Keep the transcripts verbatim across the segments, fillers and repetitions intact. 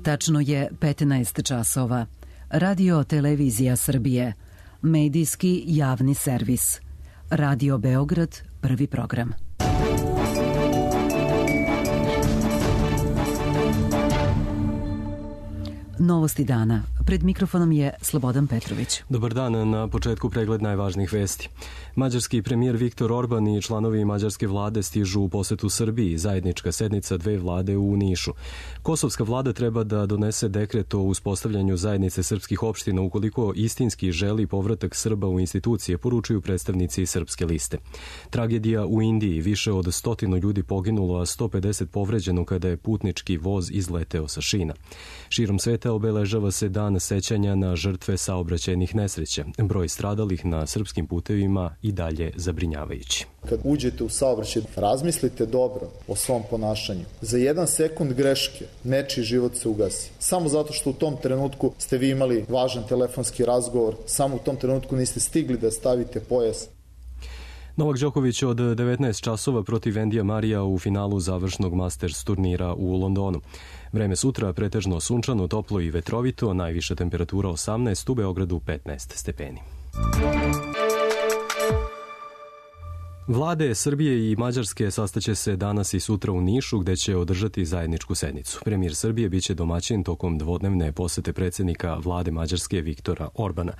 Tačno je petnaest časova. Radio Televizija Srbije. Medijski javni servis. Radio Beograd, prvi program. Novosti dana. Pred mikrofonom je Slobodan Petrović. Dobar dan, na početku pregled najvažnijih vesti. Mađarski premijer Viktor Orban i članovi mađarske vlade stižu u posetu Srbiji, zajednička sednica dve vlade u Nišu. Kosovska vlada treba da donese dekret o uspostavljanju zajednice srpskih opština ukoliko istinski želi povratak Srba u institucije, poručuju predstavnici Srpske liste. Tragedija u Indiji, više od stotinu ljudi poginulo, a sto pedeset povređeno kada je putnički voz izleteo sa šina. Širom sveta obeležava se dan sećanja na žrtve saobraćajnih nesreća. Broj stradalih na srpskim putevima i dalje zabrinjavajući. Kad uđete u saobraćaj, razmislite dobro o svom ponašanju. Za jedan sekund greške nečiji život se ugasi. Samo zato što u tom trenutku ste vi imali važan telefonski razgovor, samo u tom trenutku niste stigli da stavite pojas. Novak Đoković od devetnaest časova protiv Endija Marija u finalu završnog Masters turnira u Londonu. Vreme sutra pretežno sunčano, toplo i vetrovito, najviša temperatura osamnaest, u Beogradu petnaest stepeni. Vlade Srbije i Mađarske sastaće se danas i sutra u Nišu, gde će održati zajedničku sednicu. Premijer Srbije biće domaćin tokom dvodnevne posete predsjednika vlade Mađarske Viktora Orbana.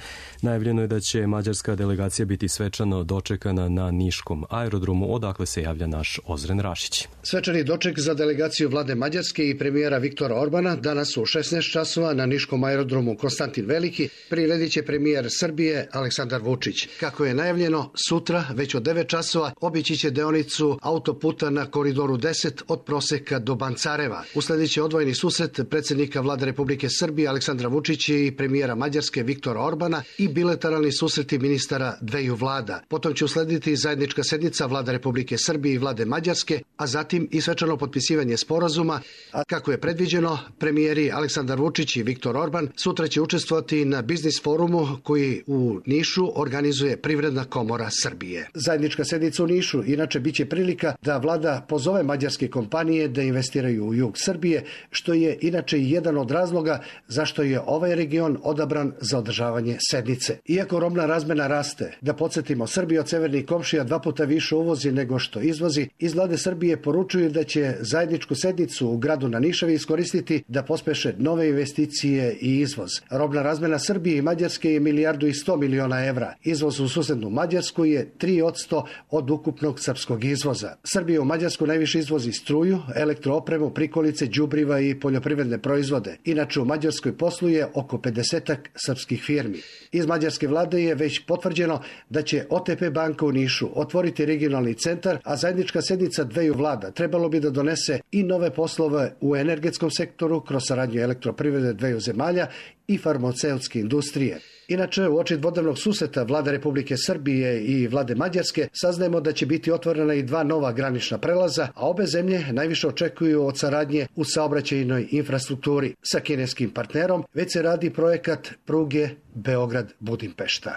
Najavljeno je da će mađarska delegacija biti svečano dočekana na niškom aerodromu, odakle se javlja naš Ozren Rašić. Svečani doček za delegaciju vlade Mađarske i premijera Viktora Orbana danas u šesnaest časova na niškom aerodromu Konstantin Veliki priredit će premijer Srbije Aleksandar Vučić. Kako je najavljeno, sutra već od devet časova obići će deonicu autoputa na koridoru deset od Proseka do Bancareva. Usledit će odvojeni susret predsjednika vlade Republike Srbije Aleksandra Vučića i premijera Mađarske Viktora Orbana i bilateralni susreti ministara dveju vlada. Potom će uslediti zajednička sednica vlada Republike Srbije i vlade Mađarske, a zatim i svečano potpisivanje sporazuma, a kako je predviđeno, premijeri Aleksandar Vučić i Viktor Orban sutra će učestvovati na biznis forumu koji u Nišu organizuje Privredna komora Srbije. Zajednička sednica u Nišu inače biće prilika da vlada pozove mađarske kompanije da investiraju u jug Srbije, što je inače jedan od razloga zašto je ovaj region odabran za održavanje sednice. Iako robna razmena raste, da podsjetimo, Srbija od severnih komšija dva puta više uvozi nego što izvozi, iz vlade Srbije poručuju da će zajedničku sednicu u gradu na Nišavi iskoristiti da pospeše nove investicije i izvoz. Robna razmena Srbije i Mađarske je milijardu i sto miliona evra. Izvoz u susednu Mađarsku je tri posto od ukupnog srpskog izvoza. Srbija u Mađarsku najviše izvozi struju, elektroopremu, prikolice, đubriva i poljoprivredne proizvode. Inače u Mađarskoj posluje oko pedesetak srpskih firmi. Iz mađarske vlade je već potvrđeno da će O T P banka u Nišu otvoriti regionalni centar, a zajednička sednica dveju vlada trebalo bi da donese i nove poslove u energetskom sektoru kroz saradnju elektroprivrede dveju zemalja i farmaceutske industrije. Inače, u oči dvodnevnog susreta vlade Republike Srbije i vlade Mađarske saznajemo da će biti otvorena i dva nova granična prelaza, a obe zemlje najviše očekuju od saradnje u saobraćajnoj infrastrukturi. Sa kineskim partnerom već se radi projekat pruge Beograd-Budimpešta.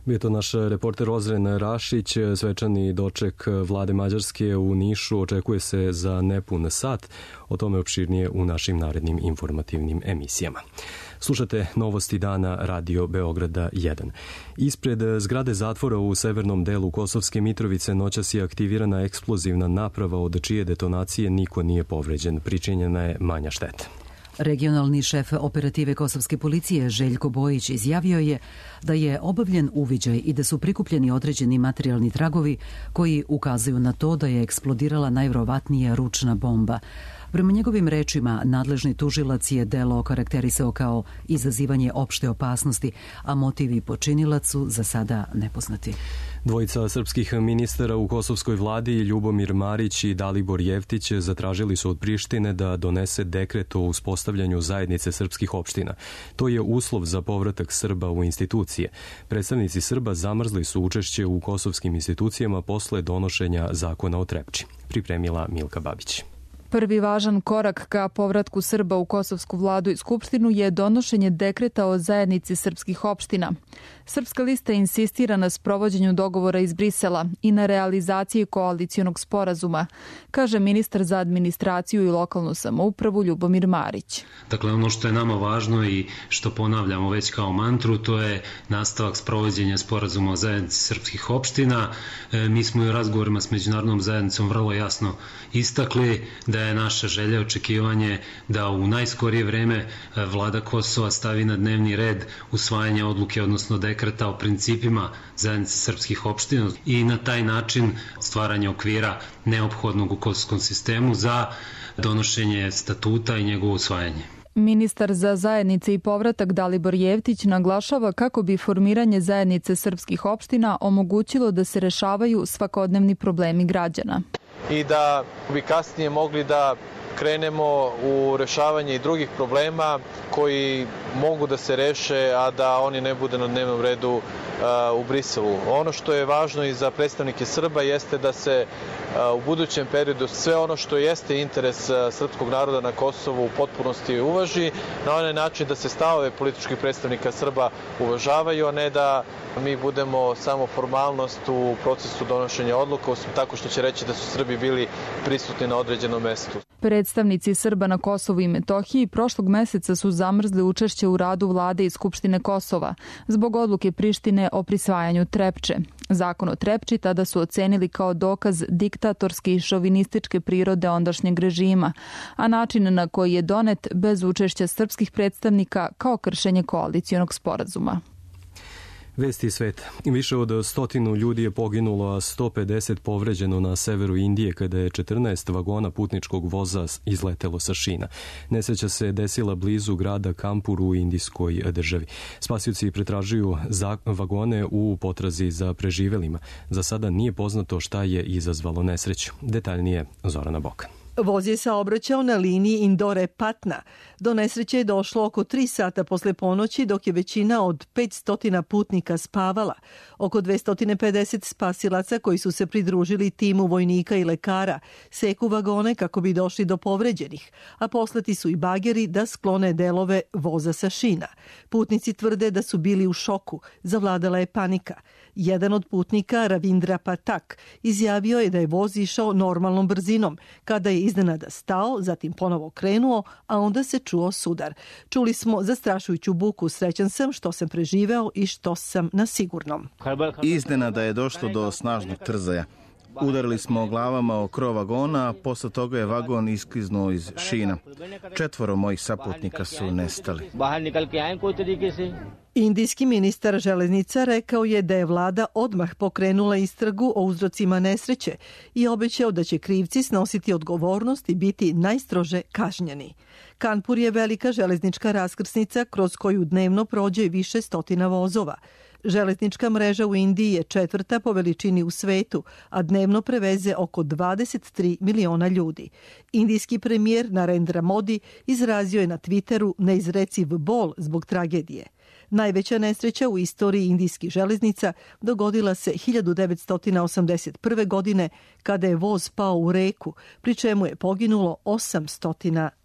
Bio to naš reporter Ozren Rašić. Svečani doček vlade Mađarske u Nišu očekuje se za nepun sat. O tome opširnije u našim narednim informativnim emisijama. Slušate novosti dana Radio Beograda jedan. Ispred zgrade zatvora u severnom delu Kosovske Mitrovice noćas je aktivirana eksplozivna naprava od čije detonacije niko nije povređen. Pričinjena je manja šteta. Regionalni šef operative kosovske policije Željko Bojić izjavio je da je obavljen uviđaj i da su prikupljeni određeni materijalni tragovi koji ukazuju na to da je eksplodirala najverovatnije ručna bomba. Prema njegovim rečima, nadležni tužilac je delo okarakterisao kao izazivanje opšte opasnosti, a motivi počinilac su za sada nepoznati. Dvojica srpskih ministara u kosovskoj vladi, Ljubomir Marić i Dalibor Jeftić, zatražili su od Prištine da donese dekret o uspostavljanju zajednice srpskih opština. To je uslov za povratak Srba u institucije. Predstavnici Srba zamrzli su učešće u kosovskim institucijama posle donošenja zakona o Trepči. Pripremila Milka Babić. Prvi važan korak ka povratku Srba u kosovsku vladu i skupštinu je donošenje dekreta o zajednici srpskih opština. Srpska lista insistira na sprovođenju dogovora iz Brisela i na realizaciji koalicionog sporazuma, kaže ministar za administraciju i lokalnu samoupravu Ljubomir Marić. Dakle, ono što je nama važno i što ponavljamo već kao mantru, to je nastavak sprovođenja sporazuma o zajednici srpskih opština. E, mi smo i u razgovorima s međunarodnom zajednicom vrlo jasno istakli da je naša želja, očekivanje da u najskorije vreme vlada Kosova stavi na dnevni red usvajanje odluke, odnosno dekreta o principima zajednice srpskih opština i na taj način stvaranje okvira neophodnog u kosovskom sistemu za donošenje statuta i njegovo usvajanje. Ministar za zajednice i povratak Dalibor Jevtić naglašava kako bi formiranje zajednice srpskih opština omogućilo da se rešavaju svakodnevni problemi građana. I da bi kasnije mogli da krenemo u rešavanje i drugih problema koji mogu da se reše, a da oni ne bude na dnevnom redu uh, u Briselu. Ono što je važno i za predstavnike Srba jeste da se uh, u budućem periodu sve ono što jeste interes uh, srpskog naroda na Kosovu u potpunosti uvaži, na onaj način da se stavove političkih predstavnika Srba uvažavaju, a ne da mi budemo samo formalnost u procesu donošenja odluka, osim tako što će reći da su Srbi bili prisutni na određenom mestu. Predstavnici Srba na Kosovu i Metohiji prošlog meseca su zamrzli učešće u radu vlade i Skupštine Kosova zbog odluke Prištine o prisvajanju Trepče. Zakon o Trepči tada su ocenili kao dokaz diktatorske i šovinističke prirode ondašnjeg režima, a način na koji je donet bez učešća srpskih predstavnika kao kršenje koalicionog sporazuma. Vesti sveta. Više od stotinu ljudi je poginulo, a sto pedeset povređeno na severu Indije kada je četrnaest vagona putničkog voza izletelo sa šina. Nesreća se desila blizu grada Kanpur u indijskoj državi. Spasioci pretražuju za vagone u potrazi za preživelima. Za sada nije poznato šta je izazvalo nesreću. Detaljnije Zorana Bokan. Voz je saobraćao na liniji Indore-Patna. Do nesreće je došlo oko tri sata posle ponoći, dok je većina od petsto putnika spavala. Oko dvesta pedeset spasilaca koji su se pridružili timu vojnika i lekara seku vagone kako bi došli do povređenih, a poslati su i bageri da sklone delove voza sa šina. Putnici tvrde da su bili u šoku, zavladala je panika. Jedan od putnika, Ravindra Patak, izjavio je da je voz išao normalnom brzinom, kada je iznenada stao, zatim ponovo krenuo, a onda se čuo sudar. Čuli smo zastrašujuću buku, srećan sam što sam preživeo i što sam na sigurnom. Iznenada je došlo do snažnog trzaja. Udarili smo glavama o krov vagona, a posle toga je vagon iskliznuo iz šina. Četvoro mojih saputnika su nestali. Indijski ministar železnica rekao je da je vlada odmah pokrenula istragu o uzrocima nesreće i obećao da će krivci snositi odgovornost i biti najstrože kažnjeni. Kanpur je velika železnička raskrsnica kroz koju dnevno prođe više stotina vozova. Železnička mreža u Indiji je četvrta po veličini u svetu, a dnevno preveze oko dvadeset tri miliona ljudi. Indijski premijer Narendra Modi izrazio je na Twitteru neizreciv bol zbog tragedije. Najveća nesreća u istoriji indijskih železnica dogodila se hiljadu devetsto osamdeset prve. godine kada je voz pao u reku, pri čemu je poginulo osamsto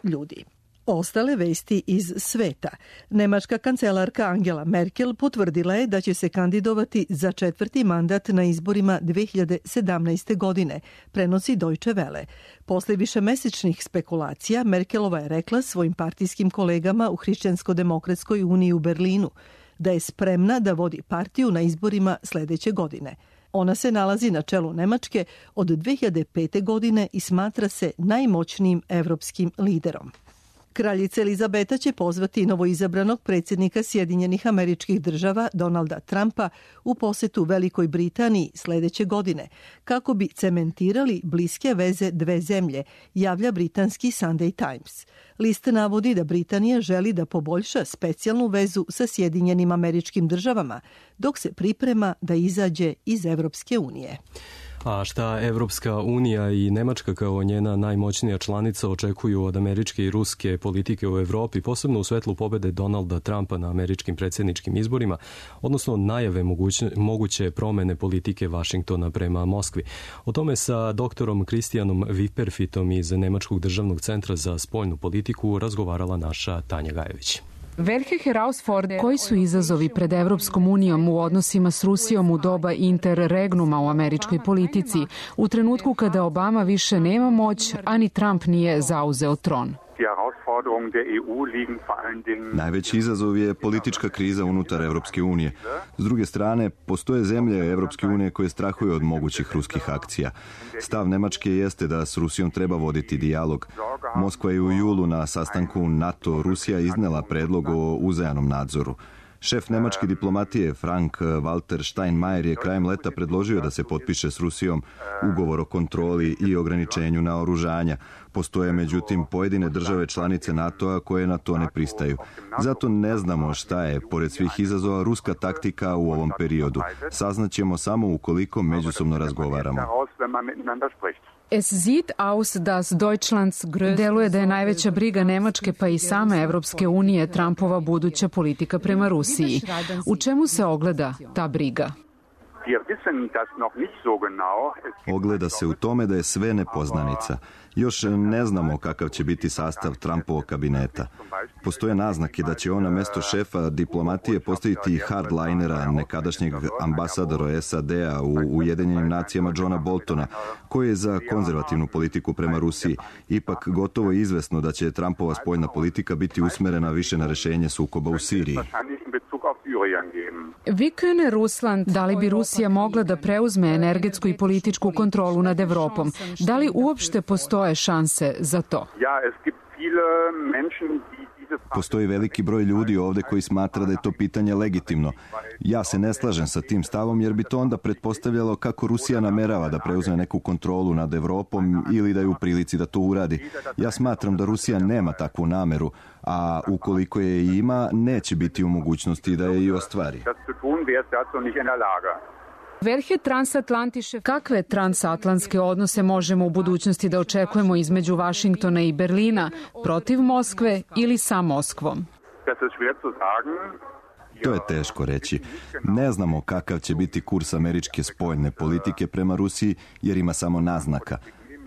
ljudi. Ostale vesti iz sveta. Nemačka kancelarka Angela Merkel potvrdila je da će se kandidovati za četvrti mandat na izborima dve hiljade sedamnaeste. godine, prenosi Deutsche Welle. Posle višemesečnih spekulacija, Merkelova je rekla svojim partijskim kolegama u Hrišćansko-demokratskoj uniji u Berlinu da je spremna da vodi partiju na izborima sledeće godine. Ona se nalazi na čelu Nemačke od dve hiljade pete. godine i smatra se najmoćnijim evropskim liderom. Kraljica Elizabeta će pozvati novoizabranog predsjednika Sjedinjenih Američkih Država Donalda Trumpa u posetu Velikoj Britaniji sledeće godine, kako bi cementirali bliske veze dve zemlje, javlja britanski Sunday Times. List navodi da Britanija želi da poboljša specijalnu vezu sa Sjedinjenim Američkim Državama, dok se priprema da izađe iz Evropske unije. A šta Evropska unija i Nemačka kao njena najmoćnija članica očekuju od američke i ruske politike u Evropi, posebno u svetlu pobede Donalda Trumpa na američkim predsjedničkim izborima, odnosno najave moguće, moguće promene politike Vašingtona prema Moskvi. O tome sa doktorom Kristijanom Viperfitom iz Nemačkog državnog centra za spoljnu politiku razgovarala naša Tanja Gajević. Koji su izazovi pred Evropskom unijom u odnosima s Rusijom u doba interregnuma u američkoj politici, u trenutku kada Obama više nema moć, a ni Trump nije zauzeo tron? Najveći izazov je politička kriza unutar Evropske unije. S druge strane, postoje zemlje Evropske unije koje strahuju od mogućih ruskih akcija. Stav Nemačke jeste da s Rusijom treba voditi dijalog. Moskva je u julu na sastanku NATO-Rusija iznela predlog o uzajamnom nadzoru. Šef nemačke diplomatije Frank-Walter Steinmeier je krajem leta predložio da se potpiše s Rusijom ugovor o kontroli i ograničenju naoružanja. Postoje međutim pojedine države članice NATO-a koje na to ne pristaju. Zato ne znamo šta je, pored svih izazova, ruska taktika u ovom periodu. Saznaćemo samo ukoliko međusobno razgovaramo. Deluje da je najveća briga Nemačke pa i same Evropske unije Trumpova buduća politika prema Rusiji. U čemu se ogleda ta briga? Ogleda se u tome da je sve nepoznanica. Još ne znamo kakav će biti sastav Trumpovog kabineta. Postoje naznake da će on na mesto šefa diplomatije postaviti hardlinera, nekadašnjeg ambasadora S A D-a u Ujedinjenim nacijama Johna Boltona, koji je za konzervativnu politiku prema Rusiji. Ipak gotovo je izvesno da će Trumpova spoljna politika biti usmerena više na rešenje sukoba u Siriji. Da li bi Rusija mogla da preuzme energetsku i političku kontrolu nad Evropom? Da li uopšte postoje šanse za to? Postoji veliki broj ljudi ovdje koji smatra da je to pitanje legitimno. Ja se ne slažem sa tim stavom jer bi to onda pretpostavljalo kako Rusija namerava da preuzme neku kontrolu nad Evropom ili da je u prilici da to uradi. Ja smatram da Rusija nema takvu nameru, a ukoliko je i ima, neće biti u mogućnosti da je i ostvari. Kakve transatlantske odnose možemo u budućnosti da očekujemo između Vašingtona i Berlina, protiv Moskve ili sa Moskvom? To je teško reći. Ne znamo kakav će biti kurs američke spoljne politike prema Rusiji jer ima samo naznaka.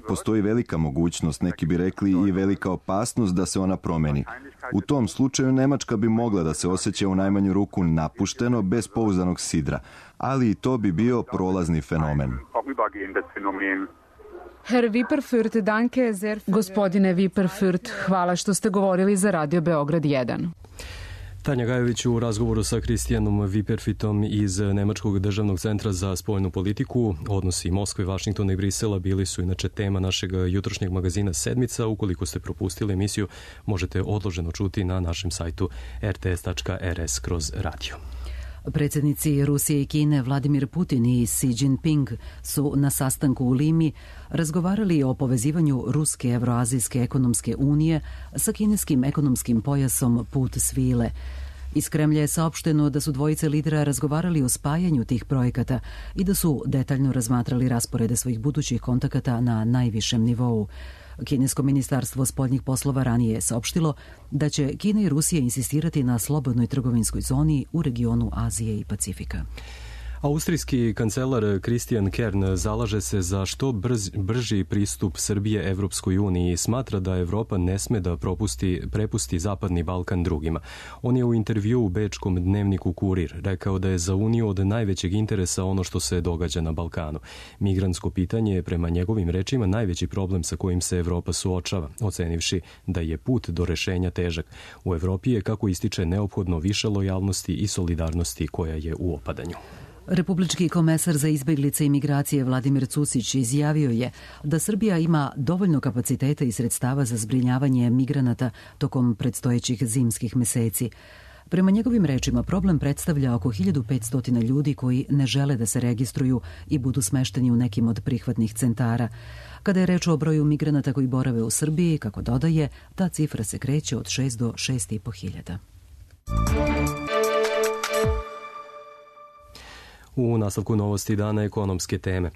Postoji velika mogućnost, neki bi rekli i velika opasnost da se ona promeni. U tom slučaju Nemačka bi mogla da se osjeća u najmanju ruku napušteno, bez pouzdanog sidra, ali i to bi bio prolazni fenomen. Gospodine Viperfurt, hvala što ste govorili za Radio Beograd jedan. Tanja Gajević u razgovoru sa Kristijanom Viperfitom iz Nemačkog državnog centra za spoljnu politiku. Odnosi Moskve, Vašingtona i Brisela bili su inače tema našeg jutrošnjeg magazina Sedmica. Ukoliko ste propustili emisiju, možete odloženo čuti na našem sajtu r t s tačka r s kroz radio. Predsjednici Rusije i Kine Vladimir Putin i Xi Jinping su na sastanku u Limi razgovarali o povezivanju Ruske Evroazijske ekonomske unije sa kineskim ekonomskim pojasom Put svile. Iz Kremlja je saopšteno da su dvojice lidera razgovarali o spajanju tih projekata i da su detaljno razmatrali rasporede svojih budućih kontakata na najvišem nivou. Kinesko ministarstvo spoljnih poslova ranije je saopštilo da će Kina i Rusija insistirati na slobodnoj trgovinskoj zoni u regionu Azije i Pacifika. Austrijski kancelar Christian Kern zalaže se za što brz, brži pristup Srbije Evropskoj uniji i smatra da Evropa ne sme da propusti, prepusti Zapadni Balkan drugima. On je u intervjuu u bečkom dnevniku Kurir rekao da je za Uniju od najvećeg interesa ono što se događa na Balkanu. Migrantsko pitanje je prema njegovim rečima najveći problem sa kojim se Evropa suočava, ocenivši da je put do rešenja težak. U Evropi je, kako ističe, neophodno više lojalnosti i solidarnosti koja je u opadanju. Republički komesar za izbeglice i migracije Vladimir Cucić izjavio je da Srbija ima dovoljno kapaciteta i sredstava za zbrinjavanje migranata tokom predstojećih zimskih meseci. Prema njegovim rečima, problem predstavlja oko hiljadu petsto ljudi koji ne žele da se registruju i budu smešteni u nekim od prihvatnih centara. Kada je reč o broju migranata koji borave u Srbiji, kako dodaje, ta cifra se kreće od šest do šest i po hiljada. U nastavku novosti dana ekonomske teme.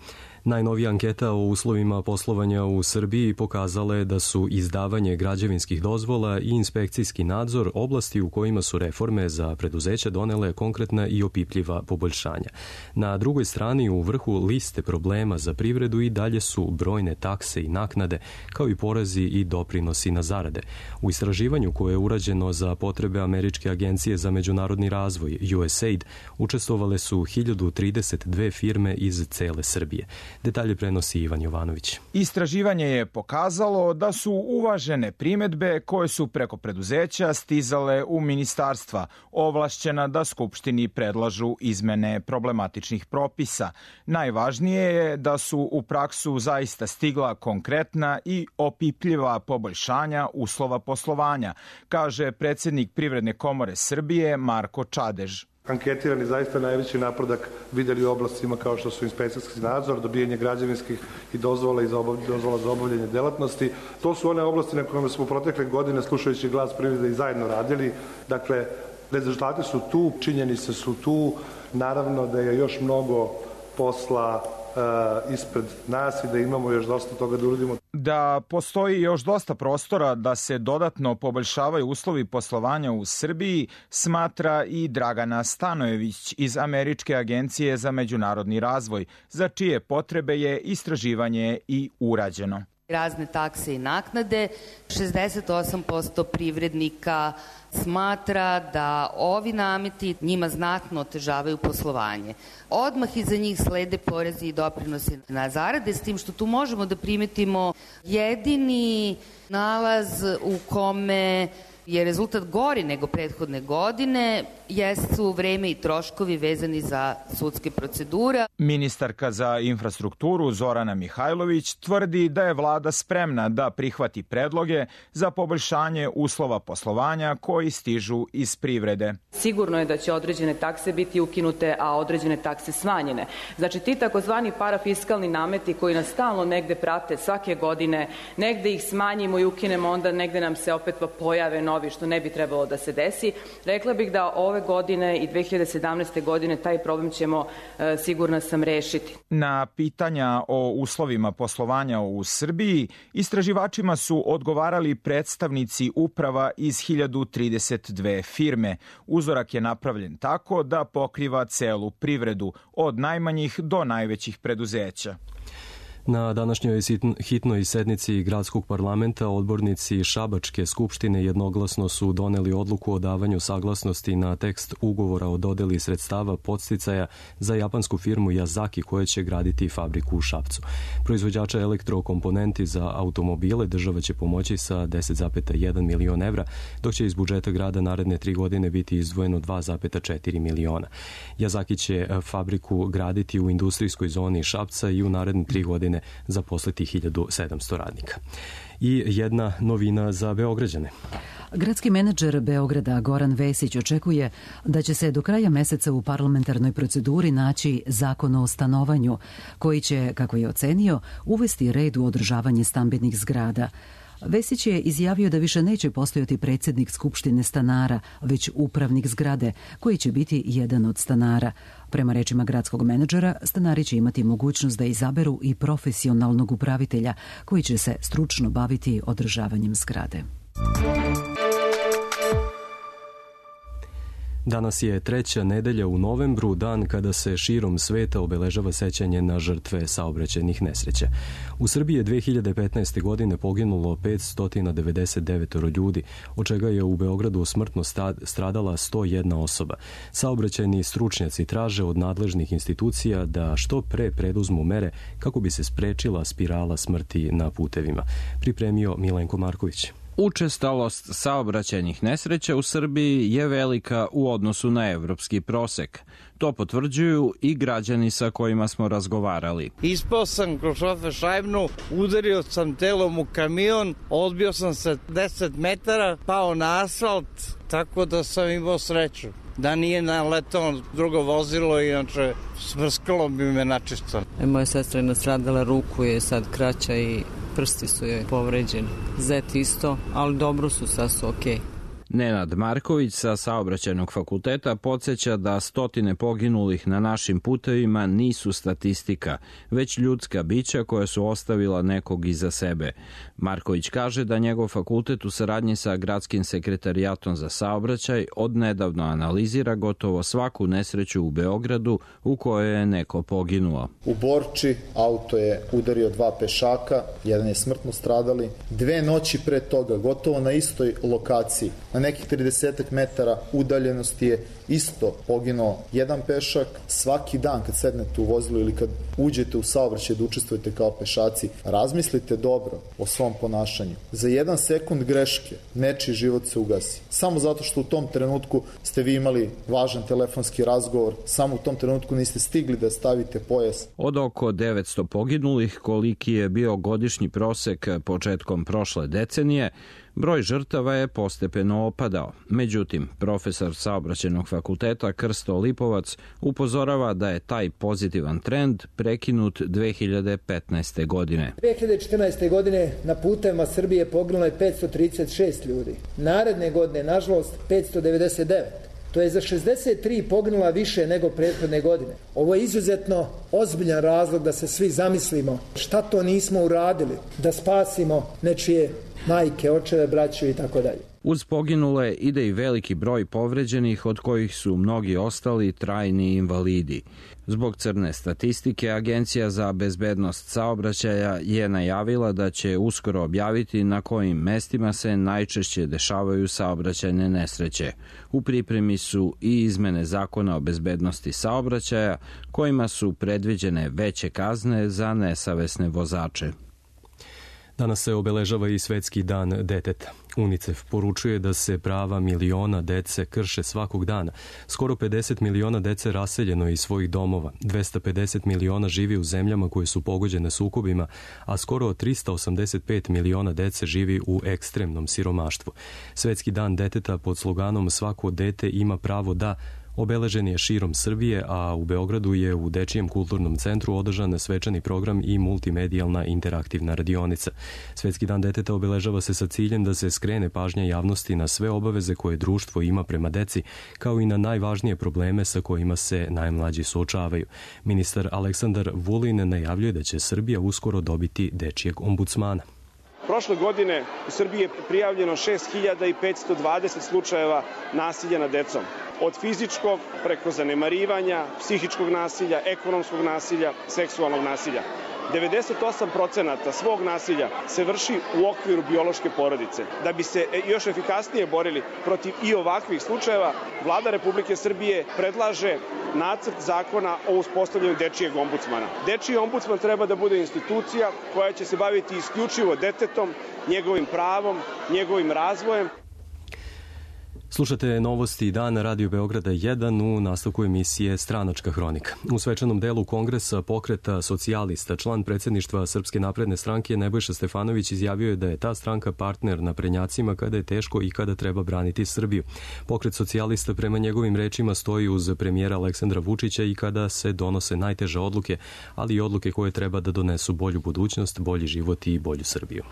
Najnovija anketa o uslovima poslovanja u Srbiji pokazala je da su izdavanje građevinskih dozvola i inspekcijski nadzor oblasti u kojima su reforme za preduzeća donele konkretna i opipljiva poboljšanja. Na drugoj strani, u vrhu liste problema za privredu i dalje su brojne takse i naknade, kao i porezi i doprinosi na zarade. U istraživanju koje je urađeno za potrebe Američke agencije za međunarodni razvoj U S A I D učestvovale su hiljadu trideset dve firme iz cele Srbije. Detalje prenosi Ivan Jovanović. Istraživanje je pokazalo da su uvažene primedbe koje su preko preduzeća stizale u ministarstva, ovlašćena da Skupštini predlažu izmene problematičnih propisa. Najvažnije je da su u praksu zaista stigla konkretna i opipljiva poboljšanja uslova poslovanja, kaže predsjednik Privredne komore Srbije Marko Čadež. Anketirani zaista najveći napredak videli u oblastima kao što su inspekcijski nadzor, dobijanje građevinskih i dozvola i za obavljanje, dozvola za obavljanje delatnosti. To su one oblasti na kojima smo protekle godine, slušajući glas privrede, i zajedno radili. Dakle, rezultati su tu, činjenice su tu. Naravno da je još mnogo posla uh, ispred nas i da imamo još dosta toga da uradimo. Da postoji još dosta prostora da se dodatno poboljšavaju uslovi poslovanja u Srbiji, smatra i Dragana Stanojević iz Američke agencije za međunarodni razvoj, za čije potrebe je istraživanje i urađeno. Razne takse i naknade, šezdeset osam posto privrednika smatra da ovi nameti njima znatno otežavaju poslovanje. Odmah iza njih slede porezi i doprinosi na zarade, s tim što tu možemo da primetimo jedini nalaz u kome je rezultat gori nego prethodne godine, jesu vreme i troškovi vezani za sudske procedure. Ministarka za infrastrukturu Zorana Mihajlović tvrdi da je vlada spremna da prihvati predloge za poboljšanje uslova poslovanja koji stižu iz privrede. Sigurno je da će određene takse biti ukinute, a određene takse smanjene. Znači ti takozvani parafiskalni nameti koji nas stalno negde prate svake godine, negde ih smanjimo i ukinemo, onda negde nam se opet pojave novi, što ne bi trebalo da se desi. Rekla bih da ove godine i dve hiljade sedamnaeste. godine taj problem ćemo, e, sigurna sam, rešiti. Na pitanja o uslovima poslovanja u Srbiji istraživačima su odgovarali predstavnici uprava iz hiljadu trideset dve firme. Uzorak je napravljen tako da pokriva celu privredu, od najmanjih do najvećih preduzeća. Na današnjoj hitnoj sednici gradskog parlamenta odbornici Šabačke skupštine jednoglasno su doneli odluku o davanju saglasnosti na tekst ugovora o dodeli sredstava podsticaja za japansku firmu Yazaki koja će graditi fabriku u Šapcu. Proizvođača elektrokomponenti za automobile država će pomoći sa deset zarez jedan milion evra, dok će iz budžeta grada naredne tri godine biti izdvojeno dva zarez četiri miliona. Yazaki će fabriku graditi u industrijskoj zoni Šapca i u naredne tri godine zaposliti hiljadu sedamsto radnika. I jedna novina za Beograđane. Gradski menadžer Beograda Goran Vesić očekuje da će se do kraja meseca u parlamentarnoj proceduri naći zakon o stanovanju, koji će, kako je ocenio, uvesti red u održavanje stambenih zgrada. Vesić je izjavio da više neće postojati predsjednik Skupštine stanara, već upravnik zgrade, koji će biti jedan od stanara. Prema rečima gradskog menadžera, stanari će imati mogućnost da izaberu i profesionalnog upravitelja, koji će se stručno baviti održavanjem zgrade. Danas je treća nedelja u novembru, dan kada se širom sveta obeležava sećanje na žrtve saobraćajnih nesreća. U Srbiji je dve hiljade petnaeste. godine poginulo petsto devedeset devet ljudi, od čega je u Beogradu smrtno stradala sto jedna osoba. Saobraćajni stručnjaci traže od nadležnih institucija da što pre preduzmu mere kako bi se sprečila spirala smrti na putevima. Pripremio Milenko Marković. Učestalost saobraćajnih nesreća u Srbiji je velika u odnosu na evropski prosek. To potvrđuju i građani sa kojima smo razgovarali. Ispao sam kroz šofer šajbnu, udario sam telom u kamion, odbio sam se deset metara, pao na asfalt, tako da sam imao sreću. Da nije naletao drugo vozilo, inače smrskalo bi me načisto. Moja sestra je nastradala, ruku je sad kraća i prsti su joj povređeni. Zet isto, ali dobro su, sad su okej. Nenad Marković sa Saobraćajnog fakulteta podsjeća da stotine poginulih na našim putevima nisu statistika, već ljudska bića koja su ostavila nekog iza sebe. Marković kaže da njegov fakultet u saradnji sa Gradskim sekretarijatom za saobraćaj odnedavno analizira gotovo svaku nesreću u Beogradu u kojoj je neko poginuo. U Borči auto je udario dva pešaka, jedan je smrtno stradali. Dve noći pre toga, gotovo na istoj lokaciji, na nekih trideset metara udaljenosti je isto poginuo jedan pešak. Svaki dan kad sednete u vozilu ili kad uđete u saobraćaj da učestvujete kao pešaci, razmislite dobro o svom ponašanju. Za jedan sekund greške nečiji život se ugasi. Samo zato što u tom trenutku ste vi imali važan telefonski razgovor, samo u tom trenutku niste stigli da stavite pojas. Od oko devetsto poginulih, koliki je bio godišnji prosek početkom prošle decenije, broj žrtava je postepeno opadao. Međutim, profesor Saobraćajnog fakulteta Krsto Lipovac upozorava da je taj pozitivan trend prekinut dve hiljade petnaeste. godine. dve hiljade četrnaeste. godine na putevima Srbije poginulo je petsto trideset šest ljudi. Naredne godine, nažalost, petsto devedeset devet. To je za šezdeset tri poginula više nego prethodne godine. Ovo je izuzetno ozbiljan razlog da se svi zamislimo šta to nismo uradili, da spasimo nečije majke, očeve, braću i tako dalje. Uz poginule ide i veliki broj povređenih, od kojih su mnogi ostali trajni invalidi. Zbog crne statistike, Agencija za bezbednost saobraćaja je najavila da će uskoro objaviti na kojim mestima se najčešće dešavaju saobraćajne nesreće. U pripremi su i izmene zakona o bezbednosti saobraćaja, kojima su predviđene veće kazne za nesavesne vozače. Danas se obeležava i Svetski dan deteta. UNICEF poručuje da se prava miliona dece krše svakog dana. Skoro pedeset miliona dece raseljeno je iz svojih domova, dvesta pedeset miliona živi u zemljama koje su pogođene sukobima, a skoro trista osamdeset pet miliona dece živi u ekstremnom siromaštvu. Svetski dan deteta pod sloganom Svako dete ima pravo da obeležen je širom Srbije, a u Beogradu je u Dečijem kulturnom centru održan svečani program i multimedijalna interaktivna radionica. Svetski dan deteta obeležava se sa ciljem da se skrene pažnja javnosti na sve obaveze koje društvo ima prema deci, kao i na najvažnije probleme sa kojima se najmlađi suočavaju. Ministar Aleksandar Vulin najavljuje da će Srbija uskoro dobiti dečijeg ombudsmana. Prošle godine u Srbiji je prijavljeno šest hiljada petsto dvadeset slučajeva nasilja nad decom. Od fizičkog preko zanemarivanja, psihičkog nasilja, ekonomskog nasilja, seksualnog nasilja. devedeset osam procenata svog nasilja se vrši u okviru biološke porodice. Da bi se još efikasnije borili protiv i ovakvih slučajeva, Vlada Republike Srbije predlaže nacrt zakona o uspostavljanju dečijeg ombudsmana. Dečiji ombudsman treba da bude institucija koja će se baviti isključivo detetom, njegovim pravom, njegovim razvojem. Slušate novosti dana Radio Beograda jedan u nastavku emisije Stranačka hronika. U svečanom delu Kongresa Pokreta socijalista, član predsjedništva Srpske napredne stranke Nebojša Stefanović izjavio je da je ta stranka partner naprednjacima kada je teško i kada treba braniti Srbiju. Pokret socijalista prema njegovim rečima stoji uz premijera Aleksandra Vučića i kada se donose najteže odluke, ali i odluke koje treba da donesu bolju budućnost, bolji život i bolju Srbiju.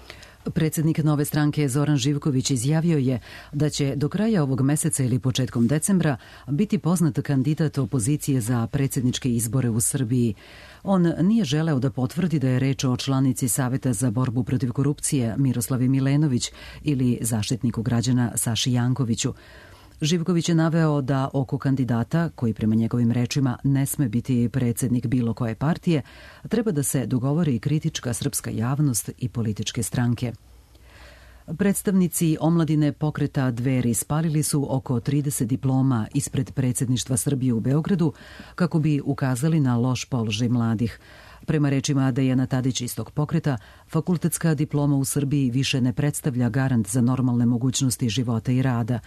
Predsjednik Nove stranke Zoran Živković izjavio je da će do kraja ovog meseca ili početkom decembra biti poznat kandidat opozicije za predsjedničke izbore u Srbiji. On nije želeo da potvrdi da je reč o članici Saveta za borbu protiv korupcije Miroslavi Milenović ili zaštitniku građana Saši Jankoviću. Živković je naveo da oko kandidata, koji prema njegovim rečima ne sme biti predsjednik bilo koje partije, treba da se dogovori kritička srpska javnost i političke stranke. Predstavnici omladine pokreta Dveri spalili su oko trideset diploma ispred predsjedništva Srbije u Beogradu kako bi ukazali na loš položaj mladih. Prema rečima Dejana Tadić iz tog pokreta, fakultetska diploma u Srbiji više ne predstavlja garant za normalne mogućnosti života i rada.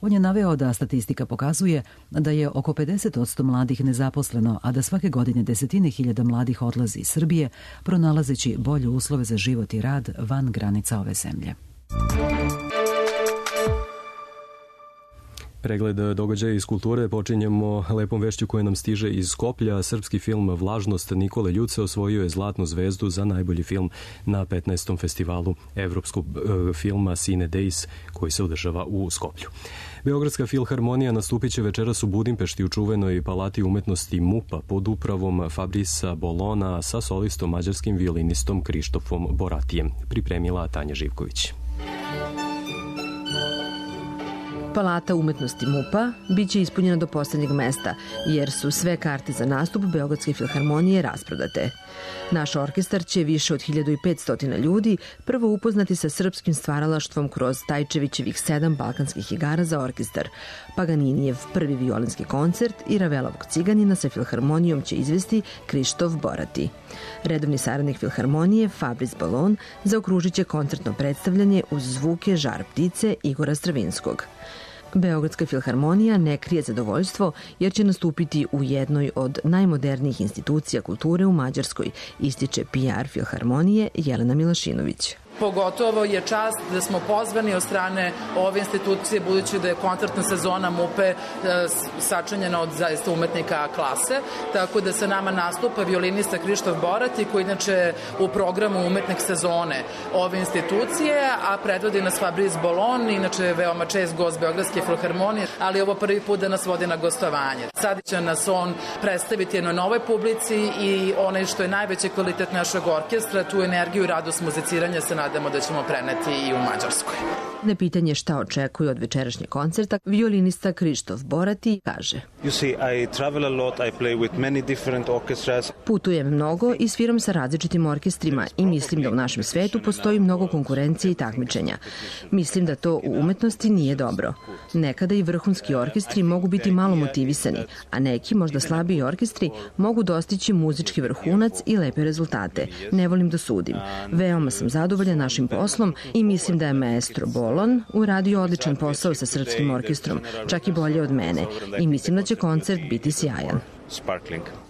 On je naveo da statistika pokazuje da je oko pedeset posto mladih nezaposleno, a da svake godine desetine hiljada mladih odlazi iz Srbije, pronalazeći bolje uslove za život i rad van granica ove zemlje. Pregled događaja iz kulture počinjemo lepom vešću koja nam stiže iz Skoplja. Srpski film Vlažnost Nikole Ljuce osvojio je Zlatnu zvezdu za najbolji film na petnaestom festivalu evropskog filma Cine Days koji se održava u Skoplju. Beogradska filharmonija nastupit će večeras u Budimpešti u čuvenoj palati umetnosti MUP-a pod upravom Fabrisa Bolona sa solistom mađarskim violinistom Krištofom Boratijem. Pripremila Tanja Živković. Palata umetnosti MUP-a biće ispunjena do poslednjeg mesta, jer su sve karte za nastup Beogradske filharmonije rasprodate. Naš orkestar će više od hiljadu petsto ljudi prvo upoznati sa srpskim stvaralaštvom kroz Tajčevićevih sedam balkanskih igara za orkestar. Paganinijev prvi violinski koncert i Ravelovog Ciganina sa filharmonijom će izvesti Krištof Borati. Redovni saradnik filharmonije Fabris Bolon zaokružit će koncertno predstavljanje uz zvuke Žar ptice Igora Stravinskog. Beogradska filharmonija ne krije zadovoljstvo jer će nastupiti u jednoj od najmodernijih institucija kulture u Mađarskoj, ističe P R filharmonije Jelena Milašinović. Pogotovo je čast da smo pozvani od strane ove institucije, budući da je koncertna sezona MUP-e sačinjena od zaista umetnika klase, tako da sa nama nastupa violinista Krištof Borati, koji inače u programu umetnik sezone ove institucije, a predvodi nas Fabris Bolon, inače je veoma čest gost Beogradske filharmonije, ali ovo prvi put da nas vodi na gostovanje. Sad će nas on predstaviti jednoj novoj publici i onaj što je najveći kvalitet našeg orkestra, tu energiju i radost muziciranja se nadamo da ćemo preneti i u Mađarskoj. Na pitanje šta očekuje od večerašnjeg koncerta, violinista Krištof Borati kaže: You see, I travel a lot, I play with many different orchestras. Putujem mnogo i sviram sa različitim orkestrima i mislim da u našem svetu postoji mnogo konkurencije i takmičenja. Mislim da to u umetnosti nije dobro. Nekada i vrhunski orkestri mogu biti malo motivisani, a neki, možda slabiji orkestri, mogu dostići muzički vrhunac i lepe rezultate. Ne volim da sudim. Veoma sam zadovoljan našim poslom i mislim da je maestro Bolon uradio odličan posao sa srpskim orkestrom, čak i bolje od mene, i mislim da će koncert biti sjajan.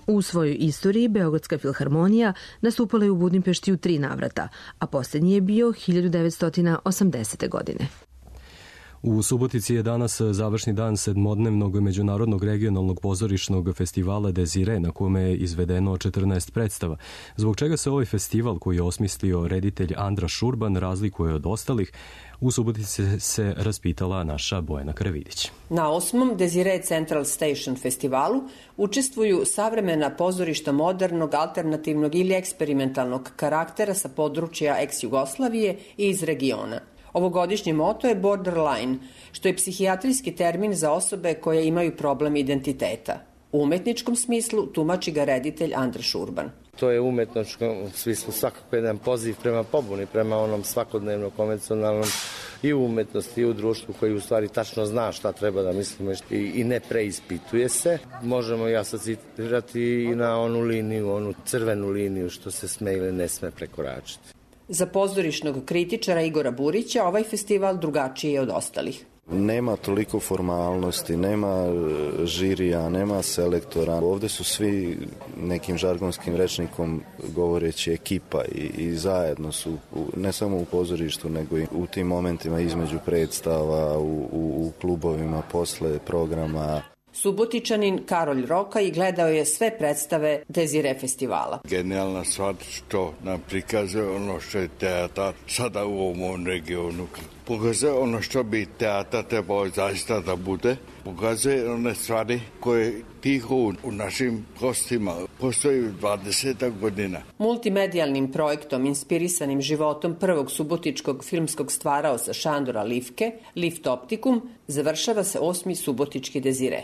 U svojoj istoriji Beogradska filharmonija nastupala je u Budimpešti u tri navrata, a posljednji je bio hiljadu devetsto osamdesete. godine. U Subotici je danas završni dan sedmodnevnog međunarodnog regionalnog pozorišnog festivala Desire, na kome je izvedeno četrnaest predstava, zbog čega se ovaj festival, koji je osmislio reditelj Andra Šurban, razlikuje od ostalih. U Subotici se raspitala naša Bojana Karavidić. Na osmom Desire Central Station festivalu učestvuju savremena pozorišta modernog, alternativnog ili eksperimentalnog karaktera sa područja ex-Jugoslavije i iz regiona. Ovogodišnji moto je borderline, što je psihijatrijski termin za osobe koje imaju problem identiteta. U umetničkom smislu tumači ga reditelj Andra Šurban. To je u umetničkom smislu svakako jedan poziv prema pobuni, prema onom svakodnevno konvencionalnom i u umetnosti i u društvu koji u stvari tačno zna šta treba da mislimo i, i ne preispituje se. Možemo i asociirati i na onu liniju, onu crvenu liniju što se sme ili ne sme prekoračiti. Za pozorišnog kritičara Igora Burića ovaj festival drugačiji je od ostalih. Nema toliko formalnosti, nema žirija, nema selektora. Ovde su svi nekim žargonskim rečnikom govoreći ekipa i, i zajedno su, ne samo u pozorištu, nego i u tim momentima između predstava, u, u, u klubovima, posle programa. Subotičanin Karolj Roka i gledao je sve predstave Desire festivala. Genijalna stvar što nam prikazuje ono što je teatar sada u ovom regionu. Pokazuje ono što bi teatar trebao zaista da bude. Pokazuje one stvari koje tiho u našim kostima postoji dvadeset godina. Multimedijalnim projektom inspirisanim životom prvog subotičkog filmskog stvaraoca Šandora Livke, Lift Optikum, završava se osmi subotički Desire.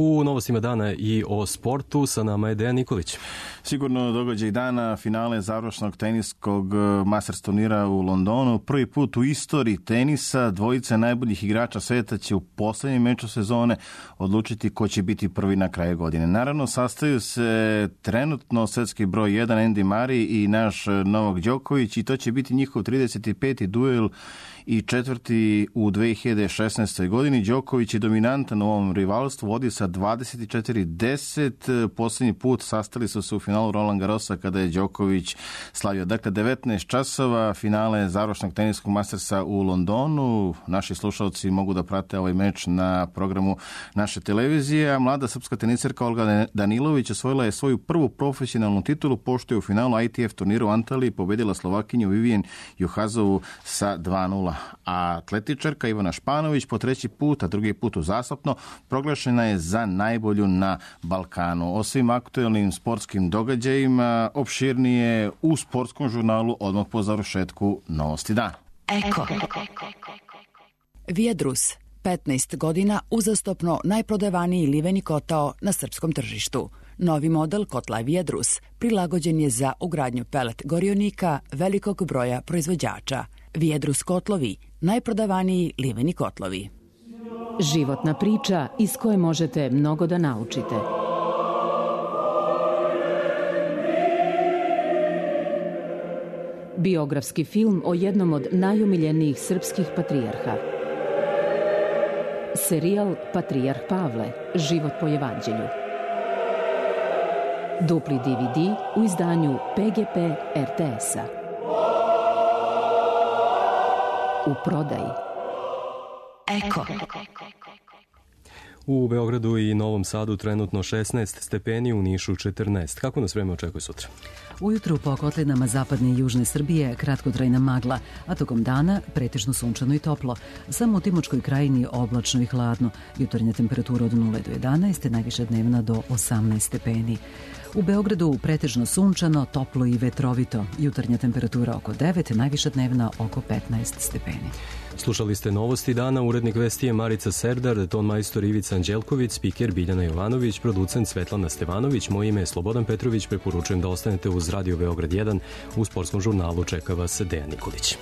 U novostima dana i o sportu sa nama je Dejan Nikolić. Sigurno događaj dana, finale završnog teniskog Masters turnira u Londonu. Prvi put u istoriji tenisa dvojica najboljih igrača sveta će u poslednjem meču sezone odlučiti ko će biti prvi na kraju godine. Naravno, sastaju se trenutno svetski broj jedan Andy Murray i naš Novak Đoković i to će biti njihov trideset peti duel i četvrti u dve hiljade šesnaestoj. godini. Đoković je dominantan u ovom rivalstvu, vodi sa dvadeset četiri deset. Posljednji put sastali su se u finalu Roland Garrosa kada je Đoković slavio. Dakle, devetnaest časova, finale završnog teniskog Mastersa u Londonu. Naši slušalci mogu da prate ovaj meč na programu naše televizije. A mlada srpska teniserka Olga Danilović osvojila je svoju prvu profesionalnu titulu pošto je u finalu I T F turniru u Antaliji pobedila Slovakinju Vivian Juhazovu sa dva nula. A atletičarka Ivana Španović po treći put, a drugi put uzastopno, proglašena je za najbolju na Balkanu. O svim aktuelnim sportskim događajima opširnije u sportskom žurnalu odmah po završetku Novosti dana. Eko. Vijedrus, petnaest godina uzastopno najprodavaniji liveni kotao na srpskom tržištu. Novi model kotla Vijedrus prilagođen je za ugradnju pelet gorionika velikog broja proizvođača. Vijedrus kotlovi, najprodavaniji liveni kotlovi. Životna priča iz koje možete mnogo da naučite. Biografski film o jednom od najomiljenijih srpskih patrijarha. Serijal Patrijarh Pavle, život po evanđelju. Dupli D V D u izdanju P G P R T S-a. U prodaji. Eko. U Beogradu i Novom Sadu trenutno šesnaest stepeni, u Nišu četrnaest. Kako nas vreme očekuje sutra? Ujutru po kotlinama zapadne i južne Srbije kratkotrajna magla, a tokom dana pretežno sunčano i toplo. Samo u Timočkoj krajini oblačno i hladno. Jutarnja temperatura od nula do jedanaest, najviša dnevna do osamnaest stepeni. U Beogradu pretežno sunčano, toplo i vetrovito. Jutarnja temperatura oko devet, najviša dnevna oko petnaest stepeni. Slušali ste Novosti dana, urednik vesti je Marica Serdar, ton majstor Ivica Anđelković, spiker Biljana Jovanović, producent Svetlana Stevanović, moje ime je Slobodan Petrović, preporučujem da ostanete uz Radio Beograd jedan, u sportskom žurnalu čeka vas Dejan Nikolić.